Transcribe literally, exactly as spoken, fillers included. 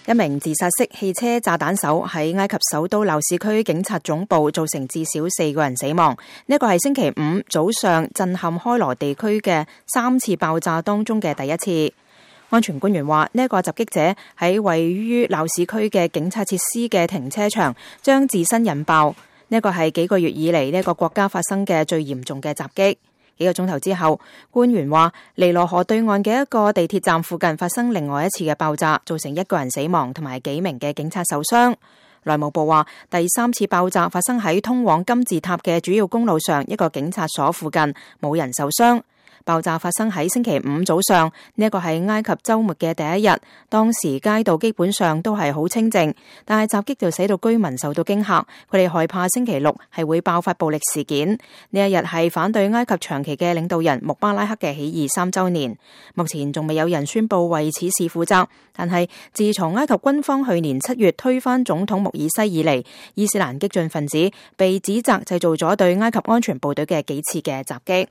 一名自殺式汽車炸彈手喺埃及首都鬧市區警察總部造成至少四個人死亡。呢個係星期五早上震撼開羅地區嘅三次爆炸當中嘅第一次。安全官員話，呢個襲擊者喺位於鬧市區嘅警察設施嘅停車場將自身引爆。呢個係幾個月以嚟呢個國家發生嘅最嚴重嘅襲擊。幾個鐘頭之後，官員話尼羅河對岸嘅一個地鐵站附近發生另外一次嘅爆炸，造成一個人死亡同埋幾名嘅警察受傷。內務部話，第三次爆炸發生喺通往金字塔嘅主要公路上一個警察所附近，冇人受傷。爆炸發生喺星期五早上，呢一個係埃及週末嘅第一日，當時街道基本上都係好清靜，但係襲擊就使到居民受到驚嚇，佢哋害怕星期六係會爆發暴力事件。呢一日係反對埃及長期嘅領導人穆巴拉克嘅起義三週年，目前仲未有人宣布為此事負責，但係自從埃及軍方去年七月推翻總統穆爾西以嚟，伊斯蘭激進分子被指責製造咗對埃及安全部隊嘅幾次嘅襲擊。